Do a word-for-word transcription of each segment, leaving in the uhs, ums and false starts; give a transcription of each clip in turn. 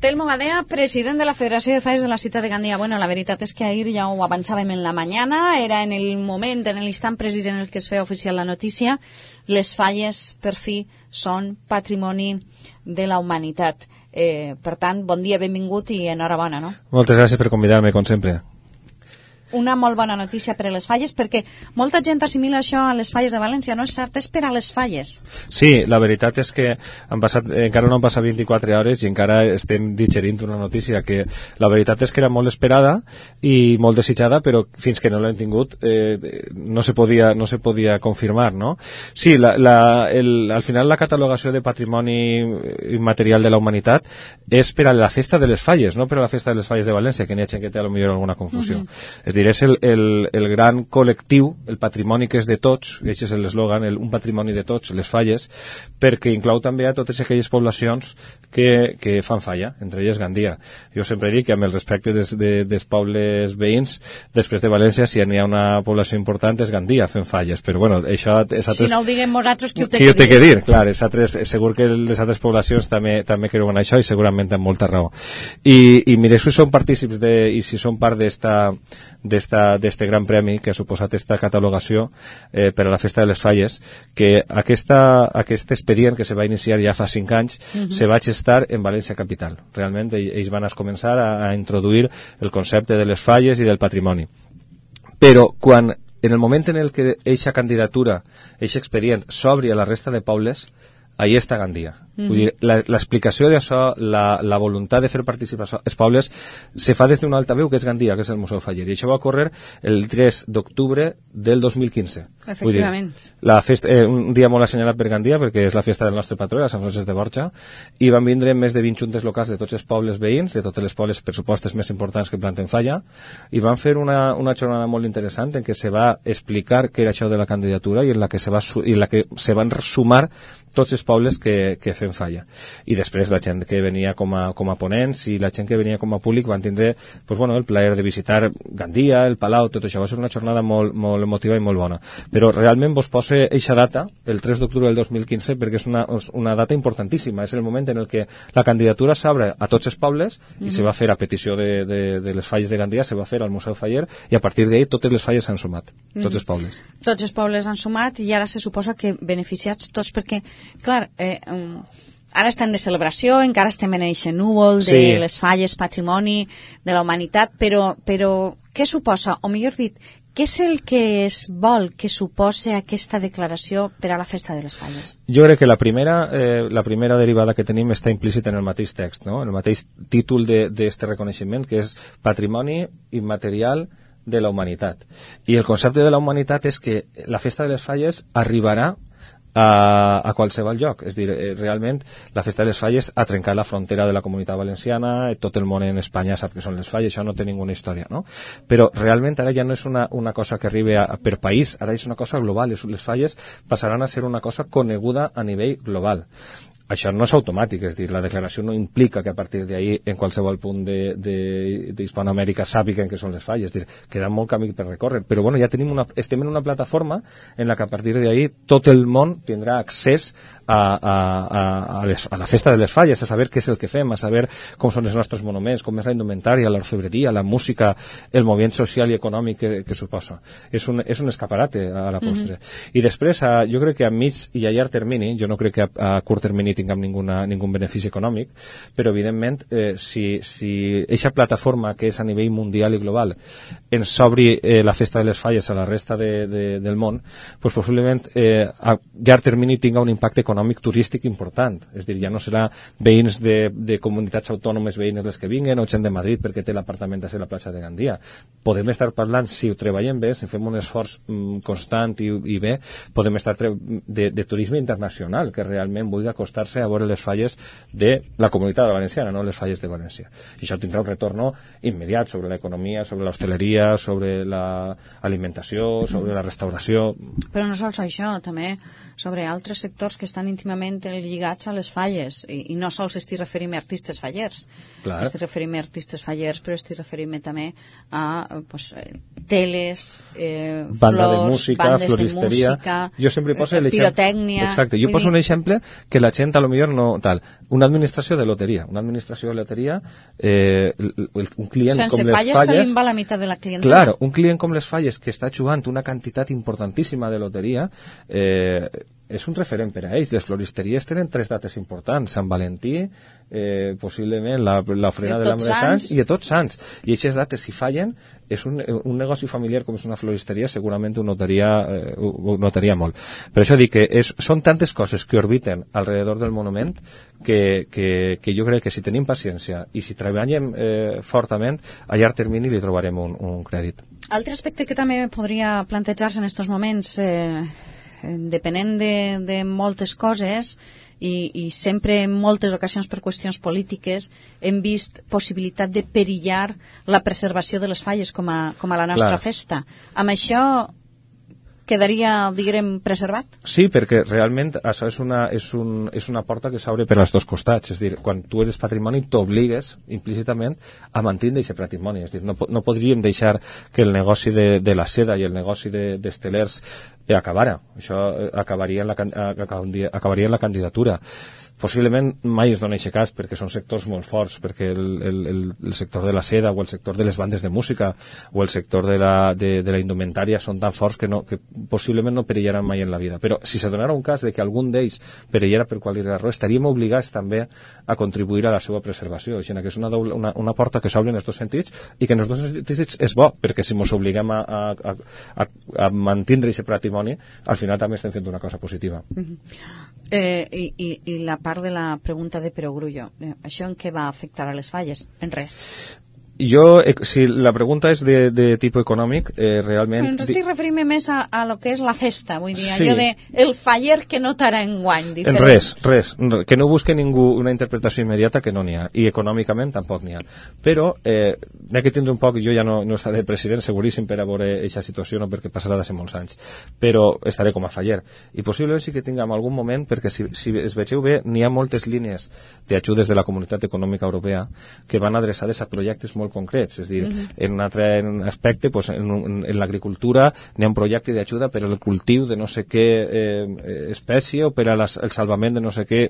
Telmo Badea, president de la Federació de Falles de la ciutat de Gandia. Bueno, la veritat és que ahir ja ho avançàvem en la mañana, era en el moment, en l'instant precís en el que es feia oficial la notícia. Les falles, per fi, són patrimoni de la humanitat. Eh, per tant, bon dia, benvingut i enhorabona, no? Moltes gràcies per convidar-me, com sempre. Una molt bona notícia per a les falles, perquè molta gent assimila això a les falles de València, no és cert, és per a les falles. Sí, la veritat és que han passat, encara no han passat vint-i-quatre hores i encara estem digerint una notícia que la veritat és que era molt esperada i molt desitjada, però fins que no l'hem tingut eh, no se podia, no se podia confirmar, no? Sí, la, la, el, al final la catalogació de patrimoni immaterial de la humanitat és per a la festa de les falles, no per a la festa de les falles de València, que n'hi ha gent que té a lo millor alguna confusió. Mm-hmm. És dir, és el, el, el gran col·lectiu, el patrimoni que és de tots, i aquest és l'eslògan, un patrimoni de tots, les falles, perquè inclou també a totes aquelles poblacions que, que fan falla, entre elles Gandia. Jo sempre dic que amb el respecte des, de, dels pobles veïns, després de València, si n'hi ha una població important és Gandia fent falles, però bueno, això... Altres, si no ho diguem nosaltres, qui ho té qui que dir? Té que dir? Clar, altres, segur que les altres poblacions també, també creuen això i segurament amb molta raó. I, i mire, si són partícips de, i si són part d'esta d'este gran premi que ha suposat esta catalogació eh, per a la festa de les falles, que aquesta, aquest expedient que se va iniciar ja fa cinc anys uh-huh. se va gestar en València capital. Realment ells van a començar a, a introduir el concepte de les falles i del patrimoni. Però quan en el moment en el que eixa candidatura, eixa expedient s'obri a la resta de pobles, ahí està Gandia. Mm-hmm. Vull dir, l'explicació d'això, la, la voluntat de fer participar els pobles, se fa des d'una altaveu que és Gandia, que és el Museu Faller. I això va ocórrer el tres d'octubre del dos mil quinze. Efectivament. Vull dir, la festa, eh, un dia molt assenyalat per Gandia, perquè és la festa del nostre patró, la Sant Francesc de Borja, i van vindre més de vint juntes locals de tots els pobles veïns, de totes les pobles pressupostes més importants que planten falla, i van fer una, una jornada molt interessant en què se va explicar què era això de la candidatura i en la que se, va, i en la que se van sumar tots els pobles que, que fem falla. I després la gent que venia com a, com a ponents i la gent que venia com a públic van tindre pues, bueno, el plaer de visitar Gandia, el Palau, tot això. Va ser una jornada molt, molt emotiva i molt bona. Però realment vos poso eixa data, el tres d'octubre del dos mil quinze, perquè és una, una data importantíssima. És el moment en el que la candidatura s'obre a tots els pobles mm-hmm. i se va fer a petició de, de, de les falles de Gandia, se va fer al Museu Faller i a partir d'ahir totes les falles s'han sumat, tots mm-hmm. els pobles. Tots els pobles han sumat i ara se suposa que beneficiats tots perquè clar, eh, um, ara estem de celebració, encara estem en aquest núvol de sí. les falles, patrimoni de la humanitat, però, però què suposa, o millor dit, què és el que es vol que suposa aquesta declaració per a la festa de les falles? Jo crec que la primera, eh, la primera derivada que tenim està implícita en el mateix text, no? En el mateix títol d'aquest reconeixement, que és Patrimoni Immaterial de la Humanitat. I el concepte de la humanitat és que la festa de les falles arribarà A, a qualsevol lloc. És dir, realment la festa de les falles ha trencat la frontera de la comunitat valenciana, tot el món en Espanya sap que són les falles, això no té ninguna història, no? Però realment ara ja no és una, una cosa que arribi a, per país, ara és una cosa global, les falles passaran a ser una cosa coneguda a nivell global. Això no és automàtic, és dir, la declaració no implica que a partir d'ahir en qualsevol punt d'Hispanoamèrica sàpiguen que són les falles, és dir, queda molt camí per recórrer, però bueno, ja tenim una, estem en una plataforma en la que a partir d'ahir tot el món tindrà accés a, a, a, a, les, a la festa de les falles, a saber què és el que fem, a saber com són els nostres monuments, com és la indumentària, l'orfebreria, la música, el moviment social i econòmic que, que suposa. És un, és un escaparate a la postre. Mm-hmm. I després, a, jo crec que a mig i a llarg termini, jo no crec que a, a curt termini tinguem ninguna, ningun benefici econòmic, però evidentment eh, si, si eixa plataforma que és a nivell mundial i global ens obri eh, la festa de les falles a la resta de, de, del món, pues possiblement eh, a llarg termini tinga un impacte econòmic turístic important, és dir, ja no serà veïns de, de comunitats autònomes veïnes les que vinguen o gent de Madrid perquè té l'apartament a ser la platja de Gandia. Podem estar parlant, si ho treballem bé, si fem un esforç mm, constant i, i bé, podem estar de, de turisme internacional que realment vulgui acostar a veure les falles de la comunitat valenciana, no les falles de València. I això tindrà un retorn immediat sobre l'economia, sobre l'hostaleria, sobre l'alimentació, sobre la restauració. Però no sols això, també sobre altres sectors que estan íntimament lligats a les falles, i, i no sols estic referint a artistes fallers. Clar. Estic referint a artistes fallers, però estic referint també a pues, teles, eh, banda flors, de música, bandes floristeria. de música, jo sempre poso eh, pirotècnia. Exacte, jo poso dir... un exemple que la gent a lo millor no tal. Una administració de loteria, una administració de loteria, eh, un client sense com les falles, falles... se li va la meitat de la clientela. Claro, un client com les falles que està jugant una quantitat importantíssima de loteria, eh, és un referent per a ells. Les floristeries tenen tres dates importants: Sant Valentí, eh, possiblement l'ofrena de l'Home de Sants i de Tots Sants. I aquestes dates, si fallen, és un, un negoci familiar com és una floristeria, segurament ho notaria, eh, ho notaria molt. Per això dic que és, són tantes coses que orbiten alrededor del monument que, que, que jo crec que si tenim paciència i si treballem eh, fortament, a llarg termini li trobarem un, un crèdit. Altre aspecte que també podria plantejar-se en aquests moments, eh, depenent de, de moltes coses i, i sempre en moltes ocasions per qüestions polítiques hem vist possibilitat de perillar la preservació de les falles com a, com a la nostra Clar. festa. Amb això quedaria, diguem, preservat? Sí, perquè realment això és una, és un, és una porta que s'obre per als dos costats. És a dir, quan tu eres patrimoni t'obligues implícitament a mantenir aquest patrimoni. És a dir, no, no podríem deixar que el negoci de, de la seda i el negoci d'estelers de, acabara. Això acabaria en, la, acabaria en la candidatura. Possiblement mai es dona aquest cas perquè són sectors molt forts, perquè el, el, el sector de la seda o el sector de les bandes de música o el sector de la, de, de la indumentària són tan forts que, no, que possiblement no perillaran mai en la vida. Però si se donara un cas de que algun d'ells perillara per qualsevol raó, estaríem obligats també a contribuir a la seva preservació. Així que és una, doble, una, una porta que s'obre en els dos sentits i que en els dos sentits és bo, perquè si ens obliguem a, a, a, a, a mantenir aquest patrimoni, al final també estem fent una cosa positiva. Mm-hmm. eh, i, i, I la part de la pregunta de Perogrullo, eh, això en què va afectar a les falles? En res. Jo, eh, si la pregunta és de, de tipus econòmic, eh, realment... Però ens estic referint més a, a lo que és la festa, vull dir, sí. allò de el faller que notarà en guany. En res, res. Que no busque ningú una interpretació immediata que no n'hi ha. I econòmicament tampoc n'hi ha. Però, eh, n'hi ha que tindre un poc, jo ja no, no estaré president, seguríssim, per a veure aquesta situació, no perquè passarà de ser molts anys. Però estaré com a faller. I possiblement sí que tinguem algun moment, perquè si, si es vegeu bé, n'hi ha moltes línies d'ajudes de la Comunitat Econòmica Europea que van adreçades a projectes molt concrets, és a dir, uh-huh. en un altre aspecte, pues, en, en, en l'agricultura n'hi ha un projecte d'ajuda per al cultiu de no sé què eh, espècie o per al salvament de no sé què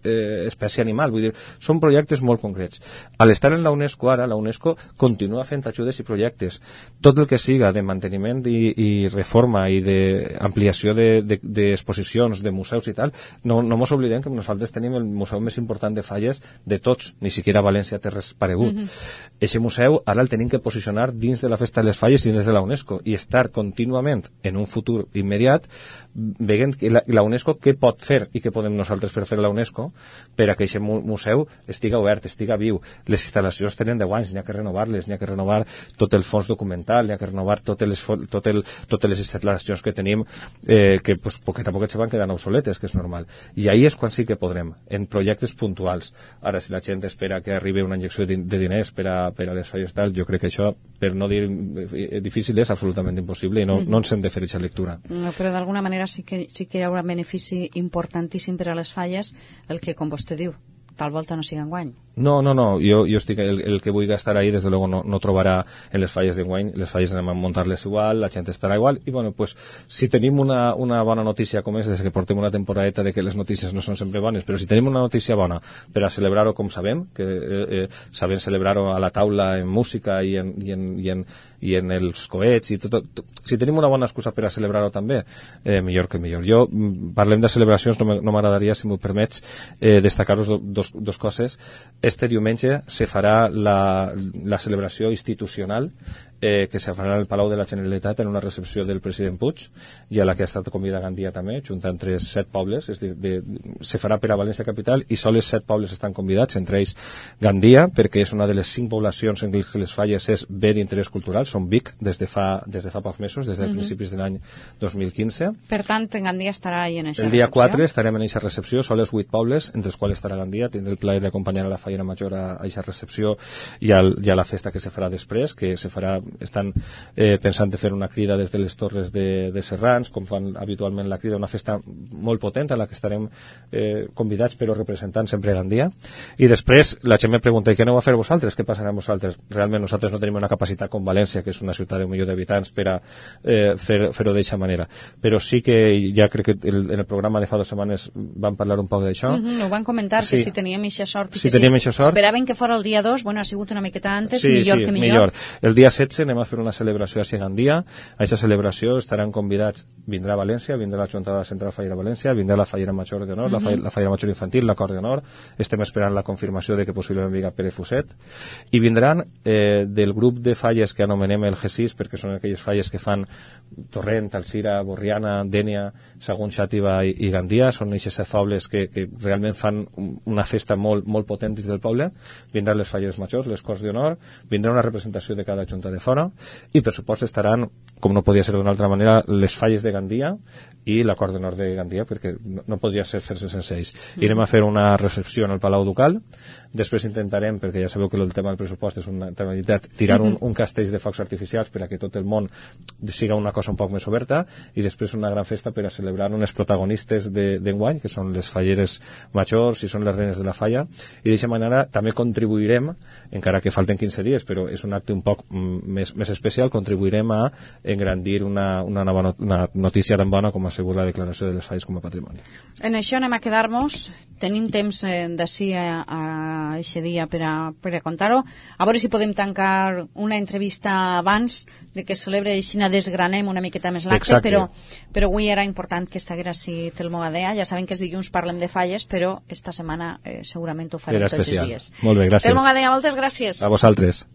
eh, espècie animal. Vull dir, són projectes molt concrets. A l'estar en la UNESCO ara, la UNESCO continua fent ajudes i projectes. Tot el que siga de manteniment i, i reforma i d'ampliació d'exposicions, de, de, de museus i tal, no, no mos oblidem que nosaltres tenim el museu més important de falles de tots, ni siquiera a València té res paregut. Eixe mm-hmm. museu ara el tenim que posicionar dins de la Festa de les Falles i dins de la UNESCO i estar contínuament en un futur immediat veient la, la UNESCO què pot fer i què podem nosaltres per fer la UNESCO per a que aquest museu estiga obert, estiga viu. Les instal·lacions tenen deu anys, n'hi ha que renovar-les, n'hi ha que renovar tot el fons documental, n'hi ha que renovar totes les, tot el, totes les instal·lacions que tenim eh, que pues, poquet a poquet se van quedant obsoletes, que és normal. I ahí és quan sí que podrem, en projectes puntuals. Ara, si la gent espera que arribi una injecció de, de diners per a, per a les falles tal, jo crec que això, per no dir difícil, és absolutament impossible i no, mm-hmm. no ens hem de fer aquesta lectura. No, però d'alguna manera sí que, sí que hi haurà un benefici importantíssim per a les falles, el que, com vostè diu, tal volta no siga enguany. No, no, no, jo, jo estic, el, el que vull estar ahí, desde luego no, no trobarà en les falles d'enguany, les falles anem a muntar-les igual, la gent estarà igual, i bueno, pues, si tenim una, una bona notícia com és, des que portem una temporadeta de que les notícies no són sempre bones, però si tenim una notícia bona per a celebrar-ho com sabem, que eh, eh, sabem celebrar-ho a la taula en música i en, i en, i en, i en els coets, i tot, tot, si tenim una bona excusa per a celebrar-ho també, eh, millor que millor. Jo, parlem de celebracions, no m'agradaria, si m'ho permets, eh, destacar-vos dos, dos coses. Este diumenge se farà la, la celebració institucional eh, que se farà al Palau de la Generalitat en una recepció del president Puig i a la que ha estat convidat Gandia també, junt entre set pobles, és dir, de, se farà per a València Capital i sols set pobles estan convidats, entre ells Gandia, perquè és una de les cinc poblacions en què les falles és bé d'interès cultural, són Vic des de fa, des de fa pocs mesos, des de mm-hmm. principis de l'any dos mil quinze. Per tant, Gandia estarà ahí en aquesta recepció? El dia quatre estarem en aquesta recepció, sols vuit pobles, entre els quals estarà Gandia, tindré el plaer d'acompanyar a la Fallera Major a aquesta recepció i, al, i a la festa que se farà després, que se farà estan eh, pensant de fer una crida des de les Torres de, de Serrans, com fan habitualment la crida, una festa molt potent a la que estarem eh, convidats però representant sempre Gandia. I després la gent me pregunta, i què aneu a fer vosaltres? Què passarà amb vosaltres? Realment nosaltres no tenim una capacitat com València, que és una ciutat d'un milió d'habitants, per a eh, fer, fer-ho d'aquesta manera. Però sí que ja crec que el, en el programa de fa dues setmanes van parlar un poc d'això. Mm -hmm, ho van comentar, sí. Que si teníem eixa sort. I si que teníem si eixa sort. Esperaven que fos el dia dos, bueno, ha sigut una miqueta antes, sí, millor sí, que millor. millor. El dia setze anem a fer una celebració a Gandia. A aquesta celebració estaran convidats, vindrà a València, vindrà la Junta Central Fallera València, vindrà la Fallera Major d'Honor, mm -hmm. la, fa, la Fallera Major Infantil, l'acord d'honor. Estem esperant la confirmació de que possiblement vingui Pere Fuset. I vindran eh, del grup de falles que anomenem el G sis, perquè són aquelles falles que fan Torrent, Alzira, Borriana, Dénia, Sagunt, Xàtiva i, i Gandia. Són aquestes fables que, que realment fan una festa molt, molt potent dins del poble. Vindran les falles majors, les Corts d'Honor, vindrà una representació de cada junta de fora i per supost estaran, com no podia ser d'una altra manera, les falles de Gandia i l'acord d'honor de Gandia, perquè no, no podria ser fer-se sense ells. Mm. Irem a fer una recepció en el Palau Ducal, després intentarem, perquè ja sabeu que el tema del pressupost és una temeritat, tirar un, un castell de focs artificials per a que tot el món siga una cosa un poc més oberta, i després una gran festa per a celebrar unes protagonistes d'enguany, de, que són les falleres majors i són les reines de la falla, i d'aquesta manera també contribuirem, encara que falten quinze dies, però és un acte un poc més, més especial, contribuirem a engrandir una, una, nova not una notícia tan bona com ha sigut la declaració de les falles com a patrimoni. En això anem a quedar-nos. Tenim temps eh, d'ací a, a aquest dia per a, per a contar-ho. A veure si podem tancar una entrevista abans de que celebre aixina desgranem una miqueta més l'acte, però, però avui era important que estiguera així Telmo Gadea. Ja saben que els dilluns parlem de falles, però esta setmana eh, segurament ho farem tots els dies. Molt bé, gràcies. Telmo Gadea, moltes gràcies. A vosaltres.